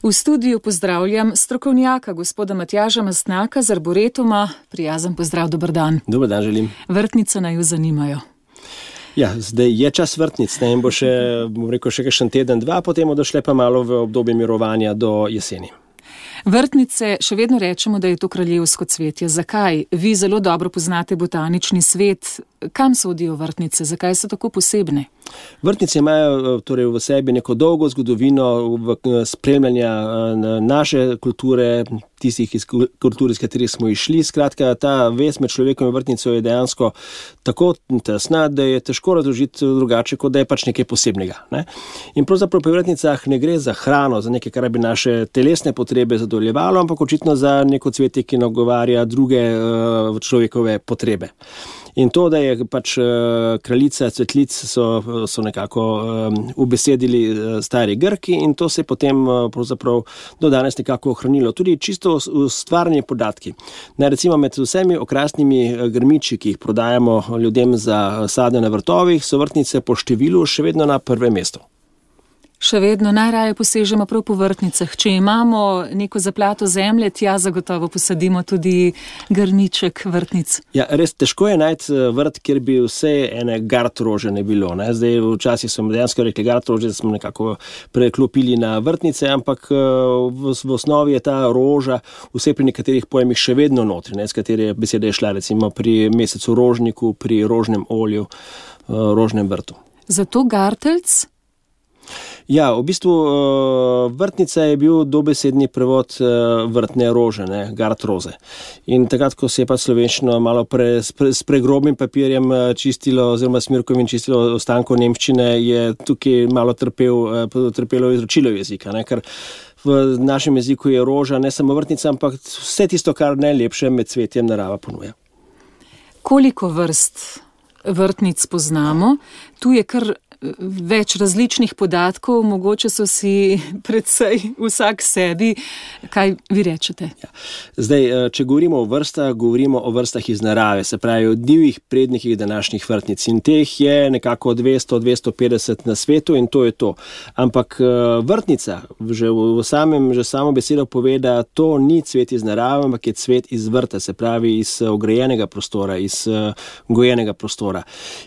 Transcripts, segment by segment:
V studiu pozdravljam strokovnjaka, gospoda Matjaža Mastnaka z Arboretuma. Prijazen pozdrav, dober dan. Dober dan želim. Vrtnice naju zanimajo. Ja, zdaj je čas vrtnic, ne, in bo še, še kakšen teden, dva, potem bodo šle pa malo v obdobje mirovanja do jeseni. Vrtnice, še vedno rečemo, da je to kraljevsko cvetje. Zakaj? Vi zelo dobro poznate botanični svet. Kam sodijo vrtnice? Zakaj so tako posebne? Vrtnice imajo torej v sebi neko dolgo zgodovino spremljanja naše kulture, tistih kultur, iz katerih smo išli. Skratka, ta vez med človekom in vrtnico je dejansko tako tesna, da je težko razložiti drugače, kot da je pač nekaj posebnega. Ne? In pravzaprav pri vrtnicah ne gre za hrano, za nekaj, kar bi naše telesne potrebe zadovoljevalo, ampak očitno za neko cvetje, ki nagovarja druge človekove potrebe. In to, da je pač kraljica cvetlic, so nekako ubesedili stari Grki in to se je potem pravzaprav do danes nekako ohranilo. Tudi čisto ustvarjanje podatki. Recimo med vsemi okrasnimi grmiči, ki jih prodajamo ljudem za sadje na vrtovih, so vrtnice po številu še vedno na prvem mestu. Še vedno najraje posežemo prav po vrtnicah. Če imamo neko zaplato zemlje, tja zagotovo posadimo tudi grmiček vrtnic. Ja, res težko je najti vrt, kjer bi vse ene gartrože ne bilo. Ne? Zdaj včasih smo dejansko rekli gartrože, da smo nekako preklopili na vrtnice, ampak v osnovi je ta roža vse pri nekaterih pojmih še vedno notri, ne? Z katere besede je šla recimo pri mesecu rožniku, pri rožnem olju, rožnem vrtu. Zato garteljc? Ja, v bistvu vrtnica je bil dobesedni prevod vrtne rože, ne, gartroze. In takrat, ko se je pa slovenščino malo s pregrobnim papirjem čistilo, oziroma smirkovim čistilo ostankov nemščine, je tukaj malo trpelo izročilo jezika, ne, ker v našem jeziku je roža ne samo vrtnica, ampak vse tisto, kar najlepše med cvetjem narava ponuja. Koliko vrst vrtnic poznamo? Tu je kar več različnih podatkov, mogoče so si predvsej vsak sebi. Kaj vi rečete? Ja. Zdaj, če govorimo o vrstah, govorimo o vrstah iz narave, se pravi o divjih prednikih današnjih vrtnic. In teh je nekako 200-250 na svetu in to je to. Ampak vrtnica, že samo besedo pove, da to ni cvet iz narave, ampak je cvet iz vrta, se pravi iz ograjenega prostora, iz gojenega prostora.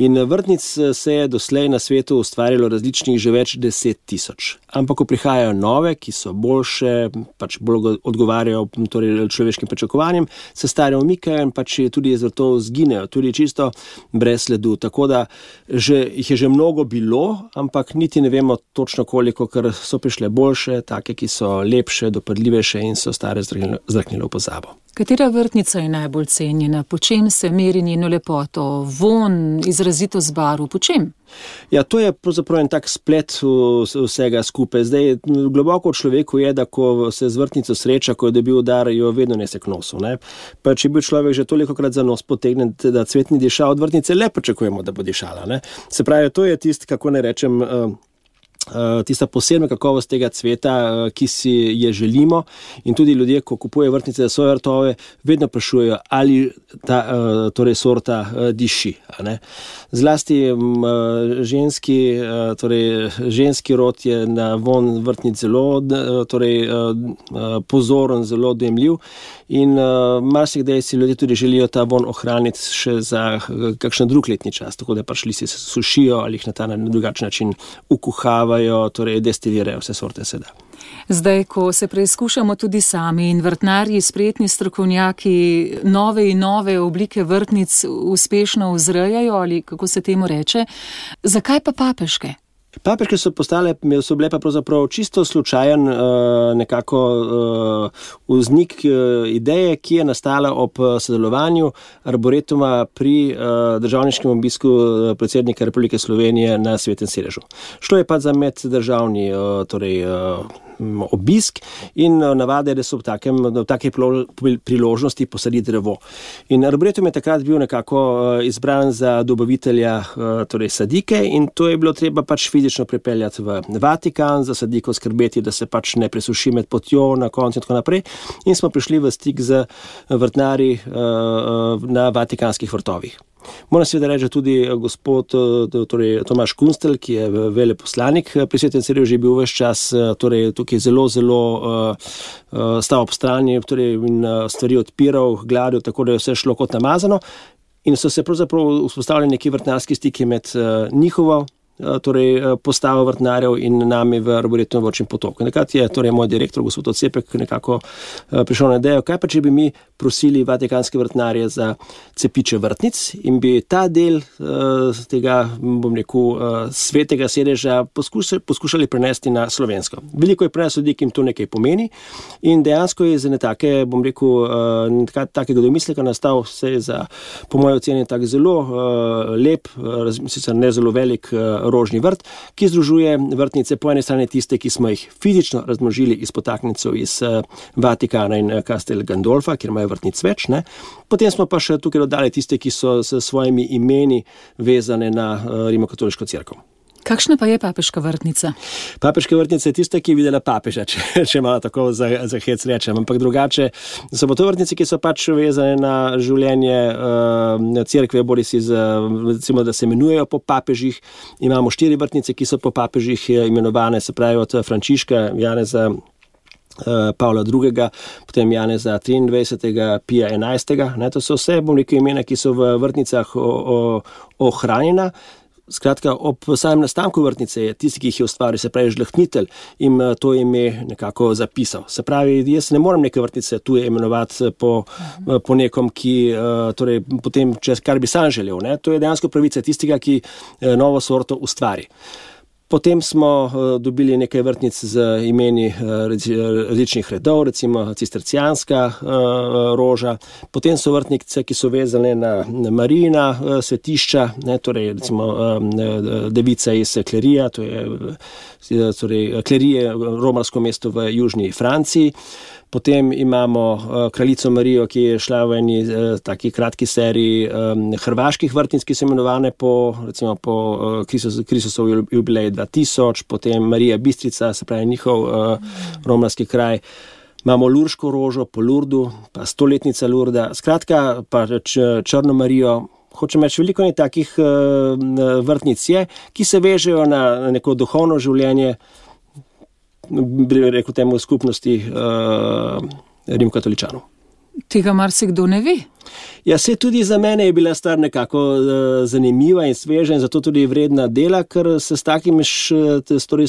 In vrtnic se je doslej na svetu ustvarjalo različnih že več 10 000. Ampak ko prihajajo nove, ki so boljše, pač bolj odgovarjajo torej človeškim pričakovanjem, se stare umikajo in pač tudi iz vrtov zginejo, tudi čisto brez sledu. Tako da jih je že mnogo bilo, ampak niti ne vemo točno koliko, ker so prišle boljše, take, ki so lepše, dopadljivejše in so stare zdrknile v pozabo. Katera vrtnica je najbolj cenjena? Po čem se meri njeno lepoto? Von, izrazitost barv? Po čem? Ja, to je pravzaprav en tak splet vsega skupaj. Zdaj, globoko v človeku je, da ko se z vrtnico sreča, ko je dobil dar, jo vedno nese k nosu. Ne? Pa če je bil človek že tolikokrat za nos potegnen, da cvet ni dišal, od vrtnice le pričakujemo, da bo dišala. Ne? Se pravi, to je tisto, kako ne rečem, tista posebna kakovost tega cveta, ki si je želimo, in tudi ljudje, ko kupujejo vrtnice za svoje vrtove, vedno sprašujejo, ali ta torej sorta diši. Ne? Zlasti ženski rod je na von vrtnic zelo pozoren, zelo dojemljiv in marsikdaj si ljudje tudi želijo ta von ohraniti še za kakšen drug letni čas, tako da pač listi se sušijo ali jih na ta drugačen način ukuhavajo, torej destilirajo, vse sorte se da. Zdaj, ko se preizkušamo tudi sami in vrtnarji, spretni strokovnjaki, nove in nove oblike vrtnic uspešno vzrejajo, ali kako se temu reče, zakaj pa papeške? Papeške so bile pa pravzaprav čisto slučajen nekako vznik ideje, ki je nastala ob sodelovanju Arboretuma pri državniškem obisku predsednika Republike Slovenije na Svetem sedežu. Šlo je pa za meddržavni obisk in navade, da so v take priložnosti posaditi drevo. In Arboretum je takrat bil nekako izbran za dobavitelja sadike in to je bilo treba pač fizično pripeljati v Vatikan, za sadiko skrbeti, da se pač ne presuši med potjo na koncu in tako naprej. In smo prišli v stik z vrtnarji na vatikanskih vrtovih. Moram seveda reči tudi gospod torej Tomaž Kunstelj, ki je veleposlanik pri Svetem Cirju, že bil ves čas torej tukaj zelo stal ob strani, torej in stvari odpiral, gladil, tako da je vse šlo kot namazano. In so se pravzaprav vzpostavili neki vrtnarski stiki med njihovo torej postavo vrtnarjev in nami v Arboretumu Vrčin potok. Nekrat je torej moj direktor, gospod Ocepek, nekako prišel na idejo, kaj pa če bi mi prosili vatikanske vrtnarje za cepiče vrtnic in bi ta del tega, bom rekel, svetega sedeža poskušali prenesti na slovensko. Veliko je prenes ljudi, ki jim to nekaj pomeni in dejansko je za nekake, bom rekel, takega domisleka nastal vse za, po moje oceni, tak zelo lep, sicer ne zelo velik rožni vrt, ki združuje vrtnice po eni strani tiste, ki smo jih fizično razmnožili iz potaknjencev iz Vatikana in Castel Gandolfa, kjer imajo vrtnic več, ne. Potem smo pa še tukaj dodali tiste, ki so s svojimi imeni vezane na Rimokatoliško cerkev. Kakšna pa je papeška vrtnica? Papeška vrtnica je tista, ki je videla papeža, če malo tako za hec rečem, ampak drugače so pa to vrtnice, ki so pač vezane na življenje cerkve, bodisi recimo, da se imenujejo po papežih. Imamo 4 vrtnice, ki so po papežih imenovane, se pravi od Frančiška, Janeza Pavla II., potem Janeza 23., Pija 11. To so vse, bom rekel, imena, ki so v vrtnicah ohranjena. Skratka, ob samem nastanku vrtnice je tisti, ki jih je ustvaril, se pravi žlahtnitelj, in to ime nekako zapisal. Se pravi, jaz ne morem neke vrtnice tuje imenovati po nekom, ki torej potem, kar bi sam želel. Ne? To je dejansko pravica tistega, ki novo sorto ustvari. Potem smo dobili nekaj vrtnic z imeni različnih redov, recimo cistercijanska roža. Potem so vrtnice, ki so vezane na Marijina svetišča, ne, torej recimo devica iz Klerija, to je torej Klerije, romarsko mesto v južni Franciji. Potem imamo kraljico Marijo, ki je šla v eni taki kratki seriji hrvaških vrtnic, ki so imenovane po Kristusov jubilej 2000, potem Marija Bistrica, se pravi njihov romarski kraj. Imamo Lurško rožo po Lurdu, pa 100-letnica Lurda, skratka pa Črno Marijo. Hočem reči, veliko je takih vrtnic je, ki se vežejo na neko duhovno življenje, bi rekel temu skupnosti rimokatoličanov. Tega marsikdo ne ve. Ja, se tudi za mene je bila stvar nekako zanimiva in sveža in zato tudi vredna dela, ker se s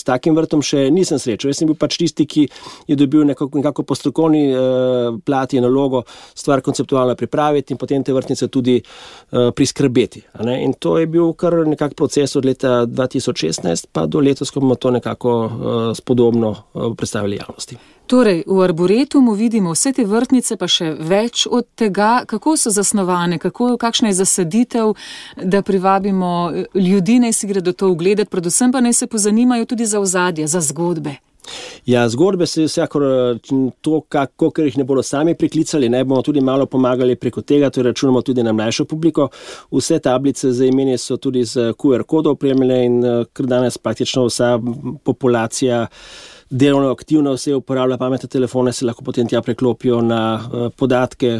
takim vrtom še nisem srečal. Jaz sem bil pač tisti, ki je dobil nekako po strokovni plati nalogo stvar konceptualno pripraviti in potem te vrtnice tudi priskrbeti. In to je bil kar nekak proces od leta 2016 pa do letos, ko bomo to nekako spodobno predstavili javnosti. Torej, v Arboretumu vidimo vse te vrtnice, pa še več od tega, kako so zasnovane, kakšna je zasaditev, da privabimo ljudi, naj si gredo to ogledati, predvsem pa naj se pozanimajo tudi za ozadje, za zgodbe. Ja, zgodbe se vsekakor to, ker jih ne bodo sami priklicali, ne bomo tudi malo pomagali preko tega, to računamo tudi na mlajšo publiko. Vse tablice za imeni so tudi z QR kodov opremljene in ker danes praktično vsa populacija delovno aktivno vse uporablja pametne telefone, se lahko potem tja preklopijo na podatke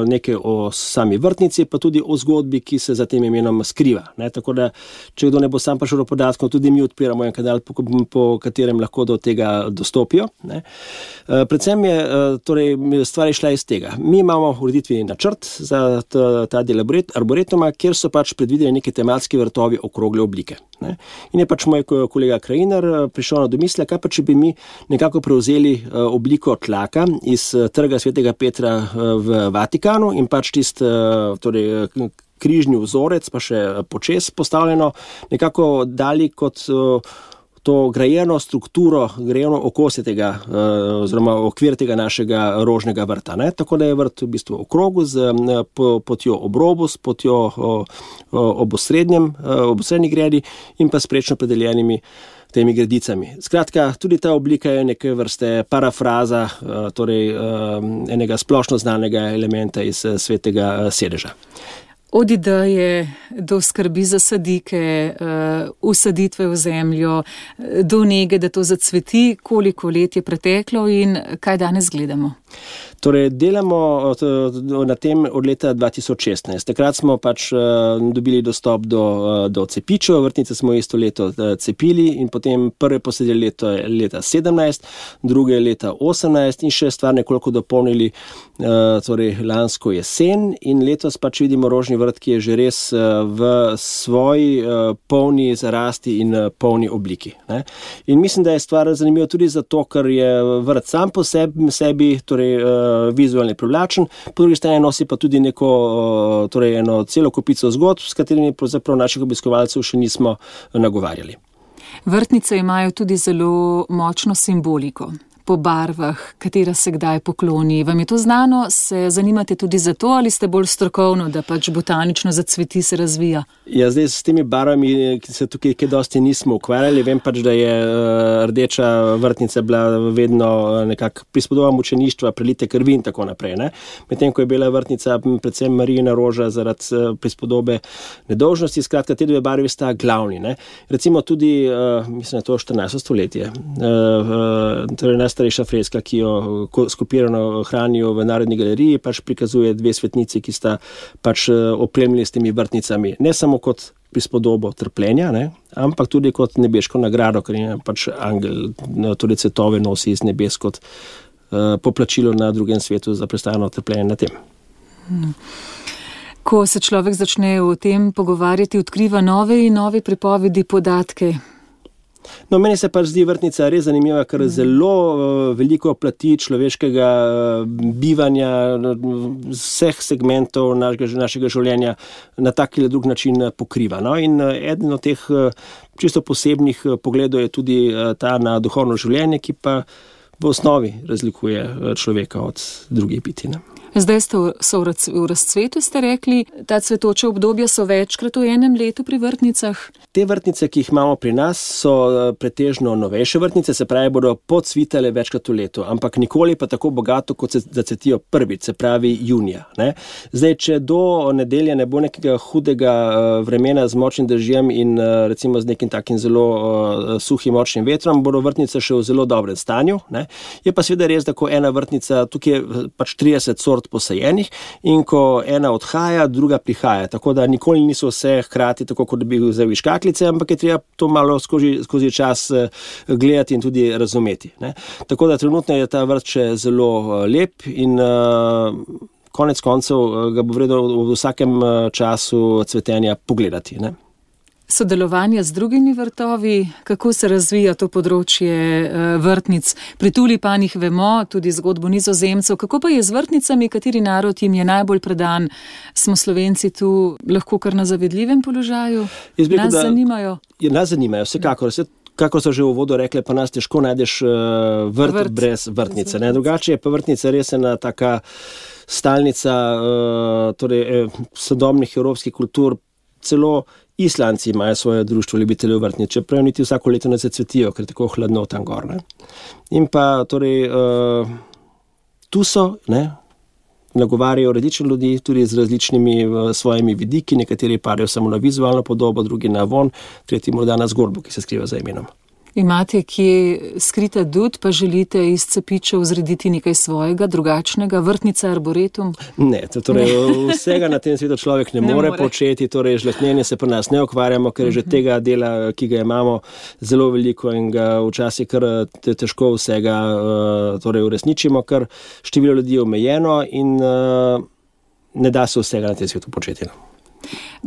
nekaj o sami vrtnici, pa tudi o zgodbi, ki se za tem imenom skriva. Tako da, če kdo ne bo sam prišel do podatkov, tudi mi odpiramo en kanal, po katerem lahko do tega dostopijo. Predvsem je torej, stvar šla iz tega. Mi imamo ureditveni načrt za ta del Arboretuma, kjer so pač predvideli neki tematski vrtovi okrogle oblike. In je pač moj kolega Krajinar prišel na domislek, kaj pa če bi mi nekako prevzeli obliko tlaka iz trga Svetega Petra v Vatikanu in pač torej križni vzorec, pa še počez postavljeno, nekako dali kot to grajeno strukturo, grajeno okosje tega, oziroma okvir tega našega rožnega vrta. Tako da je vrt v bistvu okrogu z potjo ob robu, s potjo ob osrednji gredi in pa s prečno predeljenimi temi gredicami. Skratka, tudi ta oblika je neke vrste parafraza, torej enega splošno znanega elementa iz svetega sedeža. Od ideje do skrbi za sadike, usaditve v zemljo, do nege, da to zacveti, koliko let je preteklo in kaj danes gledamo? Torej, delamo na tem od leta 2016. Takrat smo pač dobili dostop do cepičev, vrtnice smo isto leto cepili in potem prve posedeli leta 17, druge leta 18 in še stvar nekoliko dopolnili torej lansko jesen in letos pač vidimo rožni vrt, ki je že res v svoji polni zarasti in polni obliki. Ne? In mislim, da je stvar zanimiva tudi zato, ker je vrt sam po sebi torej, vizualno privlačen, po drugi strani nosi pa tudi torej eno celo kopico zgodb, s katerimi pravzaprav naših obiskovalcev še nismo nagovarjali. Vrtnice imajo tudi zelo močno simboliko. Po barvah, katera se kdaj pokloni. Vam je to znano? Se zanimate tudi za to ali ste bolj strokovno, da pač botanično zacveti, se razvija? Ja, zdaj s temi barvami, ki se tukaj kaj dosti nismo ukvarjali, vem pač, da je rdeča vrtnica bila vedno nekako prispodoba mučeništva, prelite krvi in tako naprej. Ne? Medtem, ko je bila vrtnica predvsem Marijina roža zaradi prispodobe nedolžnosti, skratka, te dve barvi sta glavni. Ne? Recimo tudi, mislim, to 14. stoletje, torej najstarejša freska, ki jo skopirano hranijo v Narodni galeriji, pač prikazuje dve svetnici, ki sta pač opremljeni s temi vrtnicami. Ne samo kot prispodobo trpljenja, ne, ampak tudi kot nebeško nagrado, ker je pač angel, tudi cvetove nosi iz nebes kot poplačilo na drugem svetu za prestajano trpljenje na tem. Ko se človek začne o tem pogovarjati, odkriva nove in nove pripovedi, podatke. No, meni se pa zdi vrtnica res zanimiva, ker zelo veliko plati človeškega bivanja, vseh segmentov našega življenja na tak ali drug način pokriva. No? In eden od teh čisto posebnih pogledov je tudi ta na duhovno življenje, ki pa v osnovi razlikuje človeka od drugih bitij. Zdaj so v razcvetu, ste rekli, ta cvetoča obdobja so večkrat v enem letu pri vrtnicah? Te vrtnice, ki jih imamo pri nas, so pretežno novejše vrtnice, se pravi, bodo podcvitale večkrat v letu, ampak nikoli pa tako bogato, kot se zacvetijo prvič, se pravi junija. Ne? Zdaj, če do nedelje ne bo nekega hudega vremena z močnim dežjem in recimo z nekim takim zelo suhim močnim vetrom, bodo vrtnice še v zelo dobrem stanju. Ne? Je pa seveda res, da ko ena vrtnica, tukaj je pač 30 sort posajenih in ko ena odhaja, druga prihaja. Tako da nikoli niso vse hkrati, tako kot bi vzel iz škatlice, ampak je treba to malo skozi čas gledati in tudi razumeti. Ne? Tako da trenutno je ta vrt še zelo lep in konec koncev ga bo vredno v vsakem času cvetenja pogledati. Ne? Sodelovanje z drugimi vrtovi, kako se razvija to področje vrtnic. Pri tulipanih vemo tudi zgodbo Nizozemcev, kako pa je z vrtnicami, kateri narod jim je najbolj predan? Smo Slovenci tu lahko kar na zavidljivem položaju? Nas zanimajo? Nas zanimajo, vsekakor. Kako so že v uvodu rekli, pa nas težko najdeš vrt brez vrtnice. Ne? Drugače je pa vrtnica res ena taka stalnica torej, sodobnih evropskih kultur, celo Islandci imajo svoje društvo ljubiteljev vrtnic, čeprav niti vsako leto ne zacvetijo, ker je tako hladno tam gor. Ne? In pa torej, tu so, ne, nagovarjajo različne ljudi, tudi z različnimi svojimi vidiki, nekateri parijo samo na vizualno podobo, drugi na von, tretji morda na zgodbo, ki se skriva za imenom. Imate kje skrita dud, pa želite iz cepičev zrediti nekaj svojega, drugačnega, vrtnica, arboretum? Ne, torej vsega na tem svetu človek ne more početi, torej žlahtnjenje se pri nas ne ukvarjamo, ker je že tega dela, ki ga imamo, zelo veliko in ga včasih kar težko vsega torej uresničimo, ker število ljudi je omejeno in ne da se vsega na tem svetu početi.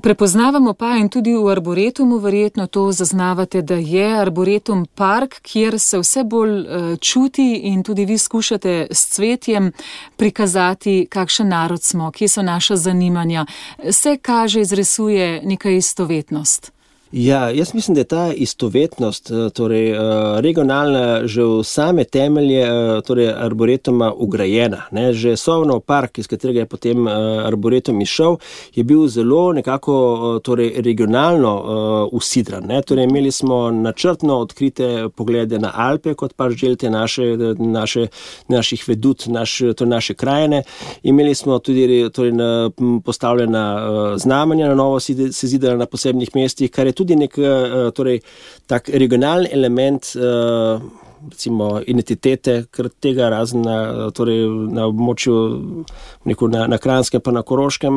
Prepoznavamo pa in tudi v arboretumu verjetno to zaznavate, da je arboretum park, kjer se vse bolj čuti in tudi vi skušate s cvetjem prikazati, kakšen narod smo, kje so naša zanimanja. Se kaže, izrisuje neka istovetnost. Ja, jaz mislim, da je ta istovetnost, torej regionalna, že v same temelje torej arboretuma ugrajena. Ne? Že Sovnov park, iz katerega je potem arboretum izšel, je bil zelo nekako torej regionalno usidran. Ne? Torej imeli smo načrtno odkrite poglede na Alpe, kot pač želite naših vedut, naše krajine. Imeli smo tudi torej, postavljena znamenja, na novo se zidala na posebnih mestih, kar je tudi nek torej, tak regionalni element recimo identitete, ker tega razen na območju na Kranjskem pa na Koroškem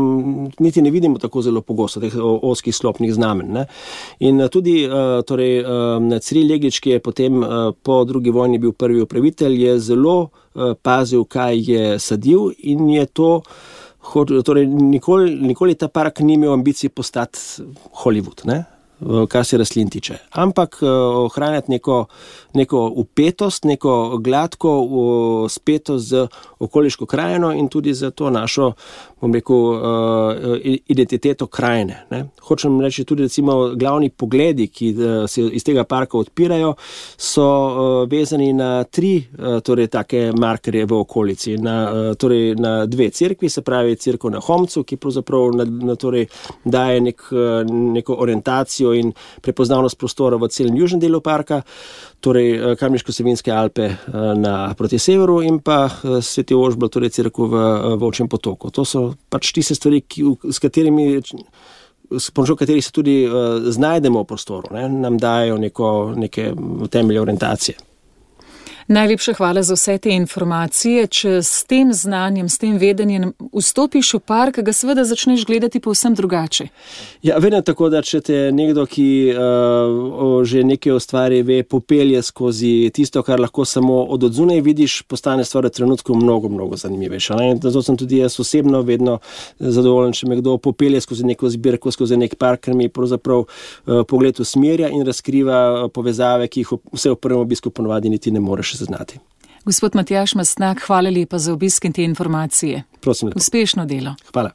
niti ne vidimo tako zelo pogosto teh ozkih slopnih znamen. Ne. In tudi Ciril Jeglič, ki je potem po drugi vojni bil prvi upravitelj, je zelo pazil, kaj je sadil in je to, torej nikoli ta park ni imel ambicij postati Hollywood, ne? Kar se rastlin tiče. Ampak ohranjati neko upetost, neko gladko spetost z okoliško krajino in tudi za to našo, bom rekel, identiteto krajine. Ne. Hočem reči tudi recimo glavni pogledi, ki se iz tega parka odpirajo, so vezani na 3 torej take markerje v okolici. Na 2 cerkvi, se pravi cerkev na Homcu, ki pravzaprav torej daje neko orientacijo in prepoznavnost prostora v celem južnem delu parka, torej Kamniško-Savinjske Alpe proti severu in pa Sveti Ožbalt, torej cerkev v Volčjem potoku. To so pač tiste stvari, s pomočjo katerih se tudi znajdemo v prostoru, ne? Nam dajo neke temelje orientacije. Najlepša hvala za vse te informacije. Če s tem znanjem, s tem vedenjem vstopiš v park, ga seveda začneš gledati povsem drugače. Ja, vedno tako, da če te nekdo, ki že nekaj o stvari ve, popelje skozi tisto, kar lahko samo od odzunaj vidiš, postane stvar v trenutku mnogo, mnogo zanimivejša. Zato sem tudi jaz osebno vedno zadovoljen, če me kdo popelje skozi neko zbirko, skozi nek park, ker mi pravzaprav pogled usmerja in razkriva povezave, ki jih vse v prvem obisku ponovadi niti ne moreš zaznati. Gospod Matjaž Mastnak, hvala lepa za obisk in te informacije. Prosim lepo. Uspešno delo. Hvala.